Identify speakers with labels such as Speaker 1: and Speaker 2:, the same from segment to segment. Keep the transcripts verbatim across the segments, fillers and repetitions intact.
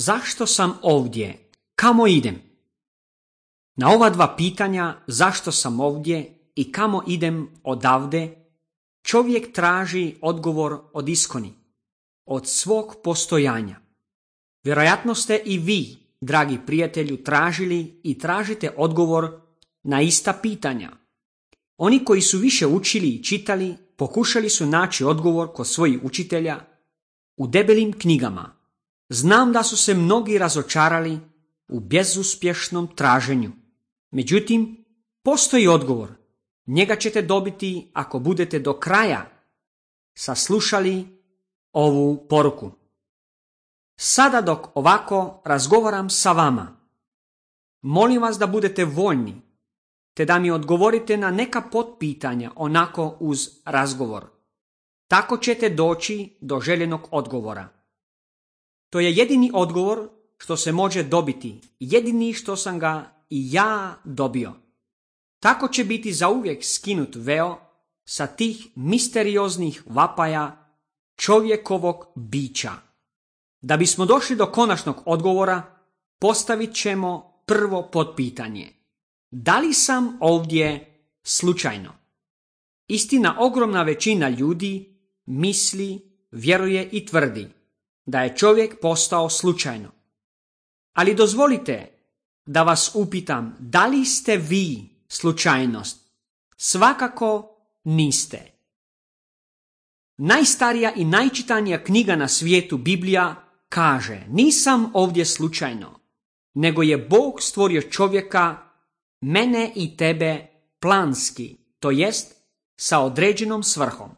Speaker 1: Zašto sam ovdje? Kamo idem? Na ova dva pitanja, zašto sam ovdje i kamo idem odavde, čovjek traži odgovor od iskoni, od svog postojanja. Vjerojatno ste i vi, dragi prijatelju, tražili i tražite odgovor na ista pitanja. Oni koji su više učili i čitali, pokušali su naći odgovor kod svojih učitelja u debelim knjigama. Znam da su se mnogi razočarali u bezuspješnom traženju. Međutim, postoji odgovor. Njega ćete dobiti ako budete do kraja saslušali ovu poruku. Sada dok ovako razgovaram sa vama, molim vas da budete voljni, te da mi odgovorite na neka potpitanja onako uz razgovor. Tako ćete doći do željenog odgovora. To je jedini odgovor što se može dobiti, jedini što sam ga i ja dobio. Tako će biti zauvijek skinut veo sa tih misterioznih vapaja čovjekovog bića. Da bismo došli do konačnog odgovora, postavit ćemo prvo potpitanje. Da li sam ovdje slučajno? Istina, ogromna većina ljudi misli, vjeruje i tvrdi da je čovjek postao slučajno. Ali dozvolite da vas upitam, da li ste vi slučajnost? Svakako niste. Najstarija i najčitanija knjiga na svijetu, Biblija, kaže: nisam ovdje slučajno, nego je Bog stvorio čovjeka, mene i tebe, planski, to jest sa određenom svrhom.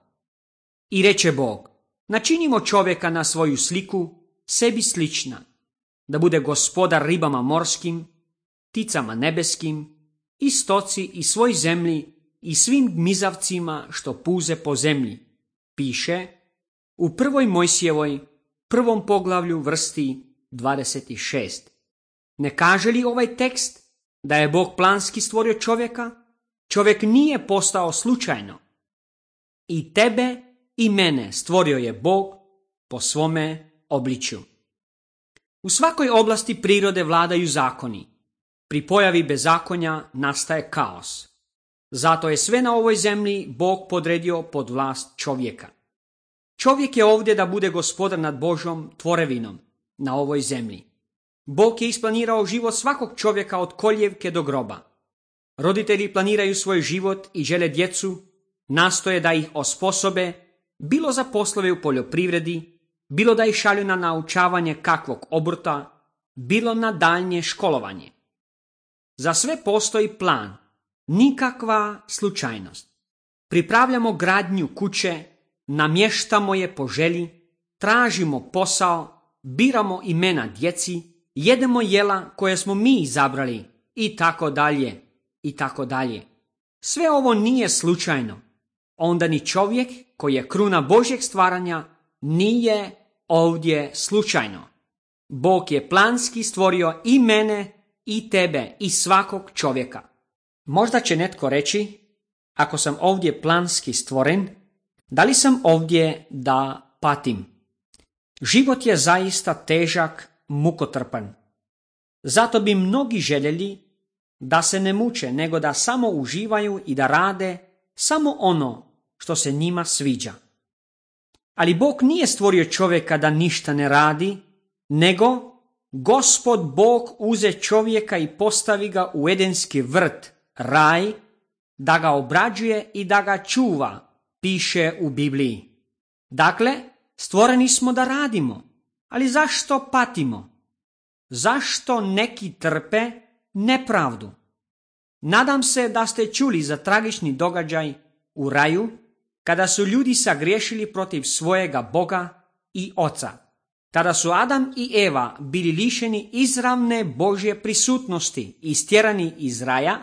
Speaker 1: I reče Bog: načinimo čovjeka na svoju sliku, sebi slična, da bude gospodar ribama morskim, pticama nebeskim, i stoci i svoj zemlji i svim gmizavcima što puze po zemlji. Piše u prvoj Mojsijevoj, prvom poglavlju, vrsti dvadeset šest. Ne kaže li ovaj tekst da je Bog planski stvorio čovjeka? Čovjek nije postao slučajno. I tebe i mene stvorio je Bog po svome obličju. U svakoj oblasti prirode vladaju zakoni. Pri pojavi bezakonja nastaje kaos. Zato je sve na ovoj zemlji Bog podredio pod vlast čovjeka. Čovjek je ovdje da bude gospodar nad Božjom tvorevinom na ovoj zemlji. Bog je isplanirao život svakog čovjeka od koljevke do groba. Roditelji planiraju svoj život i žele djecu, nastoje da ih osposobe, bilo za poslove u poljoprivredi, bilo da ih šalju na naučavanje kakvog obrta, bilo na daljnje školovanje. Za sve postoji plan, nikakva slučajnost. Pripravljamo gradnju kuće, namještamo je po želji, tražimo posao, biramo imena djeci, jedemo jela koje smo mi izabrali i tako dalje i tako dalje. Sve ovo nije slučajno. Onda ni čovjek koji je kruna Božjeg stvaranja nije ovdje slučajno. Bog je planski stvorio i mene i tebe i svakog čovjeka. Možda će netko reći, ako sam ovdje planski stvoren, da li sam ovdje da patim? Život je zaista težak, mukotrpan. Zato bi mnogi željeli da se ne muče, nego da samo uživaju i da rade samo ono što se njima sviđa. Ali Bog nije stvorio čovjeka da ništa ne radi, nego Gospod Bog uze čovjeka i postavi ga u edenski vrt, raj, da ga obrađuje i da ga čuva, piše u Bibliji. Dakle, stvoreni smo da radimo, ali zašto patimo? Zašto neki trpe nepravdu? Nadam se da ste čuli za tragični događaj u raju, kada su ljudi sagriješili protiv svojega Boga i Oca. Tada su Adam i Eva bili lišeni izravne Božje prisutnosti i stjerani iz raja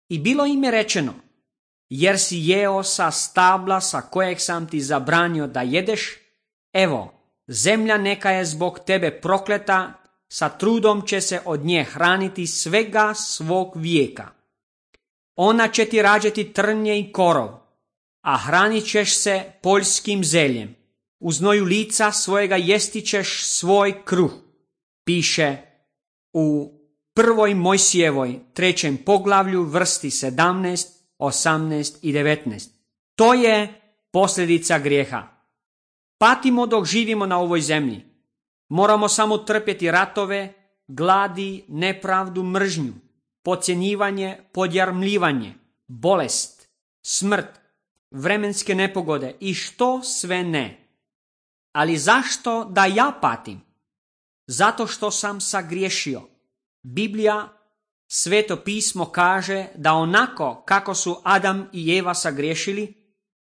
Speaker 1: i bilo im je rečeno: jer si jeo sa stabla sa kojeg sam ti zabranio da jedeš, evo, zemlja neka je zbog tebe prokleta, sa trudom će se od nje hraniti svega svog vijeka. Ona će ti rađati trnje i korov, a hranit ćeš se poljskim zeljem. U znoju lica svojega jesti ćeš svoj kruh. Piše u prvoj Mojsijevoj trećem poglavlju vrsti sedamnaest, osamnaest i devetnaest. To je posljedica grijeha. Patimo dok živimo na ovoj zemlji. Moramo samo trpjeti ratove, gladi, nepravdu, mržnju, podcjenjivanje, podjarmljivanje, bolest, smrt, vremenske nepogode i što sve ne. Ali zašto da ja patim? Zato što sam sagriješio. Biblija, Sveto pismo kaže da onako kako su Adam i Eva sagriješili,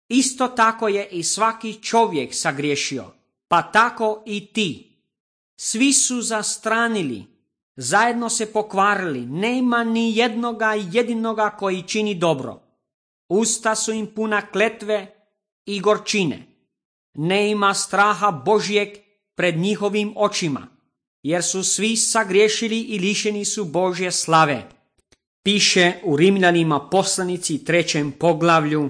Speaker 1: isto tako je i svaki čovjek sagriješio, pa tako i ti. Svi su zastranili, zajedno se pokvarili, nema ni jednoga jedinoga koji čini dobro. Usta su im puna kletve i gorčine. Ne ima straha Božjeg pred njihovim očima, jer su svi sagriješili i lišeni su Božje slave. Piše u Rimljanima poslanici trećem poglavlju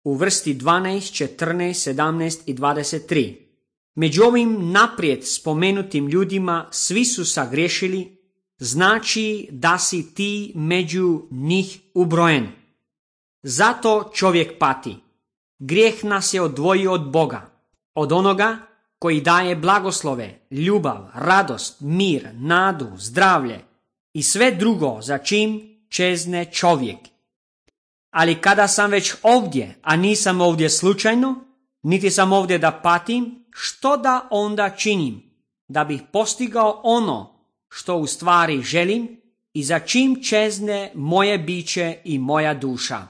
Speaker 1: u vrsti dvanaest, četrnaest, sedamnaest i dvadeset tri. Među ovim naprijed spomenutim ljudima svi su sagriješili, znači da si ti među njih ubrojen. Zato čovjek pati. Grijeh nas je odvojio od Boga, od onoga koji daje blagoslove, ljubav, radost, mir, nadu, zdravlje i sve drugo za čim čezne čovjek. Ali kada sam već ovdje, a nisam ovdje slučajno, niti sam ovdje da patim, što da onda činim, da bih postigao ono što u stvari želim i za čim čezne moje biće i moja duša?